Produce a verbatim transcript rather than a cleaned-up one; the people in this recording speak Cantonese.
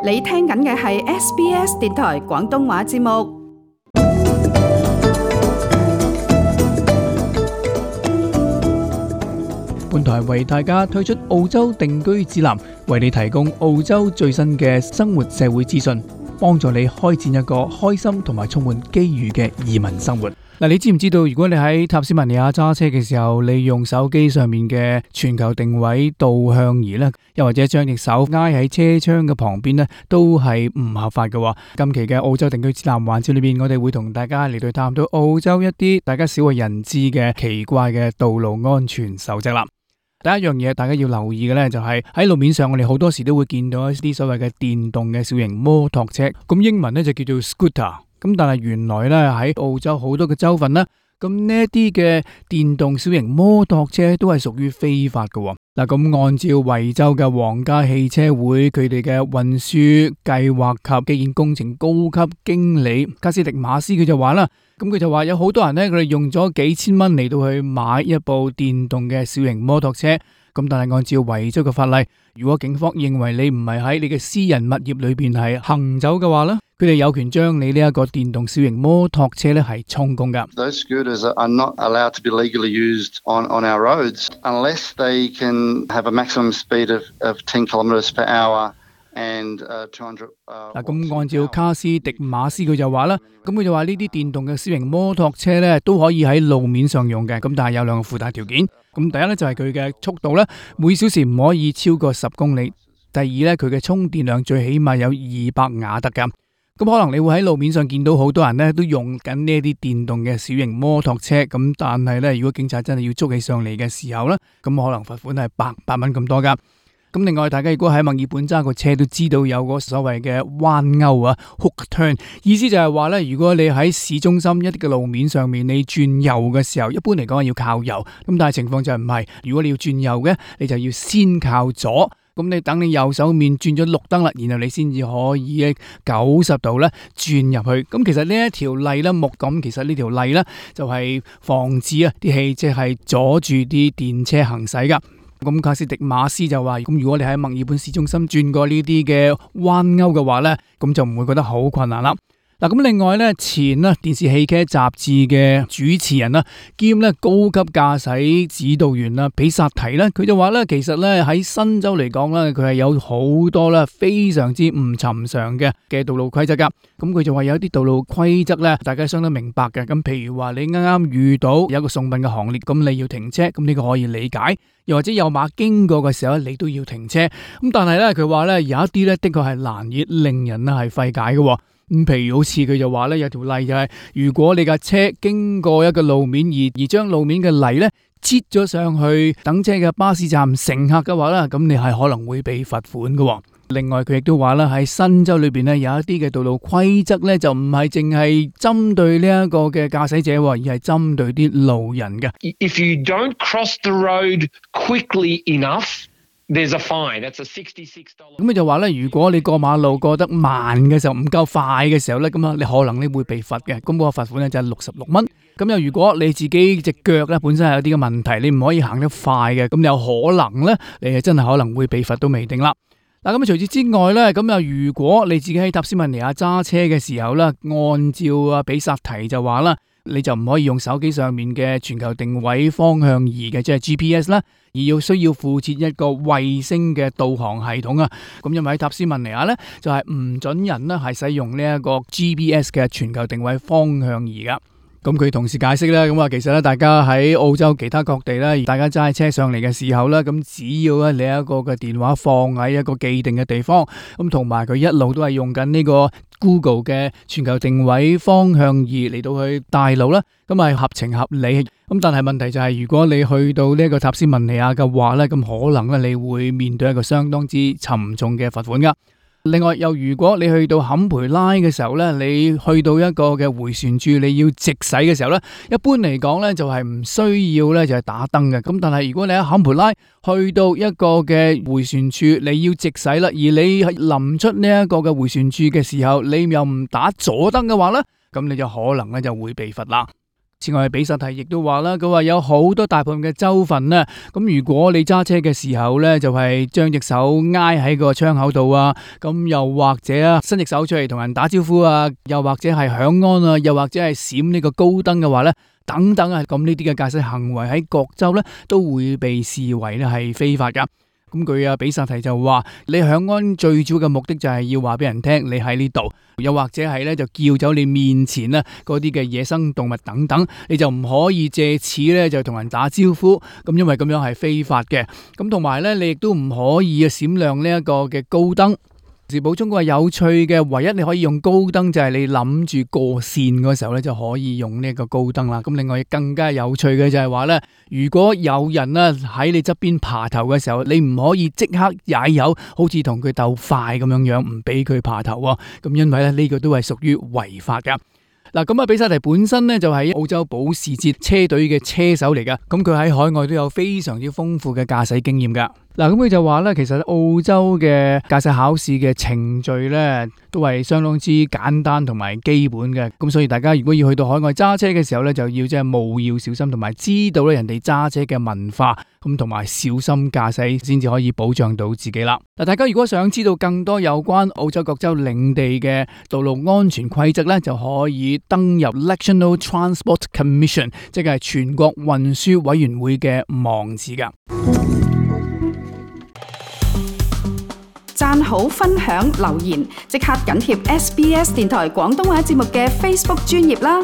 你聽緊嘅係 S B S 電台廣東話節目。本台為大家推出澳洲定居指南，為你提供澳洲最新嘅生活社會資訊，幫助你開展一個開心同埋充滿機遇嘅移民生活。嗱，你知唔知道，如果你喺塔斯曼尼亞揸車嘅時候，你用手機上面嘅全球定位導向儀咧，又或者將隻手挨喺車窗嘅旁邊咧，都係唔合法嘅。今期嘅澳洲定居指南環節裏邊，我哋會同大家嚟到探討澳洲一啲大家少為人知嘅奇怪嘅道路安全守則啦。第一樣嘢大家要留意嘅咧，就係喺路面上，我哋好多時都會見到一啲所謂嘅電動嘅小型摩托車，咁英文咧就叫做 scooter。咁但係原來咧喺澳洲好多嘅州份咧，咁呢一啲嘅電動小型摩托車都係屬於非法嘅。嗱，咁按照維州嘅皇家汽車會佢哋嘅運輸計劃及基建工程高級經理卡斯迪馬斯佢就話啦，咁佢就話有好多人咧，佢哋用咗幾千蚊嚟到去買一部電動嘅小型摩托車。咁但係按照維州嘅法例，如果警方認為你唔係喺你嘅私人物業裏邊係行走嘅話咧，佢哋有權將你呢一個電動小型摩托車咧係充公噶。Those scooters are not allowed to be legally used on on our roads unless they can have a maximum speed of of ten kilometres per hour and two hundred。嗱，咁按照卡斯迪馬斯佢就話啦，咁佢就話呢啲電動嘅小型摩托車咧都可以喺路面上用嘅，咁但係有兩個附帶條件。咁第一咧就係佢嘅速度咧，每小時唔可以超過十公里。第二咧，佢嘅充電量最起碼有二百瓦特噶。咁可能你會喺路面上見到好多人咧都用緊呢一啲電動嘅小型摩托車，咁但係咧，如果警察真係要捉起上嚟嘅時候咧，咁可能罰款係百八蚊咁多噶。咁另外，大家如果喺墨爾本揸個車都知道有個所謂嘅彎勾啊 ，hook turn， 意思就係話咧，如果你喺市中心一啲嘅路面上面，你轉右嘅時候，一般嚟講係要靠右，咁但係情況就唔係，如果你要轉右嘅，你就要先靠左，咁你等你右手面轉咗綠燈啦，然後你先至可以九十度咧轉入去。咁其實呢一條例咧，目咁其實呢條例咧就係防止啊啲汽車係阻住啲電車行駛噶。咁卡斯迪馬斯就話，咁如果你喺墨爾本市中心轉過呢啲嘅彎勾嘅話咧，咁就唔會覺得好困難啦。嗱，咁另外咧，前咧電視汽車雜誌嘅主持人啦，兼咧高級駕駛指導員啦，比薩提咧，佢就話咧，其實咧喺新州嚟講咧，佢係有好多咧非常之唔尋常嘅嘅道路規則噶。咁佢就話有一啲道路規則咧，大家相當明白嘅。咁譬如話你啱啱遇到有一個送殯嘅行列，咁你要停車，咁呢個可以理解。又或者有馬經過嘅時候，你都要停車。咁但係咧，佢話咧有一啲咧的確係難以令人咧係費解嘅。咁譬如好似佢就話咧有條例就係，如果你架車經過一個路面而而將路面嘅泥咧擠咗上去等車嘅巴士站乘客嘅話咧，咁你係可能會被罰款嘅。另外佢亦都話啦，喺新州裏邊咧有一啲嘅道路規則咧就唔係淨係針對呢一個嘅駕駛者，而係針對啲路人嘅。If you don't cross the road quickly enough，there's a fine. That's a sixty-six dollars。咁佢就話咧，如果你過馬路過得慢嘅時候，唔夠快嘅時候咧，咁啊你可能你會被罰嘅。咁嗰個罰款咧就係六十六蚊。咁又如果你自己隻腳咧本身係有啲嘅問題，你唔可以行得快嘅，咁有可能咧你係真係可能會被罰都未定啦。嗱，咁除此之外咧，咁又如果你自己喺塔斯曼尼亞揸車嘅時候咧，按照啊比薩提就話啦，你就唔可以用手機上面嘅全球定位方向儀嘅，即係 G P S 啦，而要需要附設一個衛星嘅導航系統啊。咁因為喺塔斯曼尼亞咧，就係唔准人咧係使用呢一個 G P S 嘅全球定位方向儀噶。咁佢同時解釋咧，咁啊其實咧，大家喺澳洲其他各地咧，大家揸車上嚟嘅時候咧，咁只要咧你一個嘅電話放喺一個既定嘅地方，咁同埋佢一路都係用緊呢個 Google 嘅全球定位方向儀嚟到去帶路啦，咁係合情合理。咁但係問題就係，如果你去到呢個塔斯曼尼亞嘅話咧，咁可能咧你會面對一個相當之沉重嘅罰款噶。另外，又如果你去到坎培拉嘅時候咧，你去到一個嘅回旋處，你要直駛嘅時候咧，一般嚟講咧就係唔需要咧就係打燈嘅。咁但係如果你喺坎培拉去到一個嘅回旋處，你要直駛啦，而你臨出呢一個嘅回旋處嘅時候，你又唔打左燈嘅話咧，咁你就可能咧就會被罰啦。此外，比薩提亦都話啦，佢話有好多大部分嘅州份呢，咁如果你揸車嘅時候呢，就係將隻手挨喺個窗口度啊，咁又或者啊伸隻手出嚟同人打招呼啊，又或者係響安啊，又或者係閃呢個高燈嘅話呢，等等啊，咁呢啲嘅駕駛行為喺各州呢都會被視為呢係非法噶。咁佢啊比薩提就話，你響安最主要嘅目的就係要話俾人聽你喺呢度，又或者係咧就叫走你面前咧嗰啲嘅野生動物等等，你就唔可以借此咧就同人打招呼，咁因為咁樣係非法嘅。咁同埋咧，你亦都唔可以啊閃亮呢一個嘅高燈。是補充個有趣嘅，唯一你可以用高燈就係你諗住過線嗰時候咧就可以用呢個高燈啦。咁另外更加有趣嘅就係話咧，如果有人咧喺你側邊爬頭嘅時候，你唔可以即刻踩油，好似同佢鬥快咁樣樣，唔俾佢爬頭喎。咁因為咧呢個都係屬於違法噶。嗱，咁啊，比薩提本身咧就係澳洲保時捷車隊嘅車手嚟噶，咁佢喺海外都有非常之豐富嘅駕駛經驗噶。嗱，咁佢就話咧，其實澳洲嘅駕駛考試嘅程序咧，都係相當之簡單同埋基本嘅。咁所以大家如果要去到海外揸車嘅時候咧，就要即係務要小心，同埋知道咧人哋揸車嘅文化，咁同埋小心駕駛，先至可以保障到自己啦。嗱，大家如果想知道更多有關澳洲各州領地嘅道路安全規則咧，就可以登入 National Transport Commission， 即係全國運輸委員會嘅網址噶。讚好、分享、留言，即刻緊貼 S B S 電台廣東話節目嘅 Facebook 專頁啦！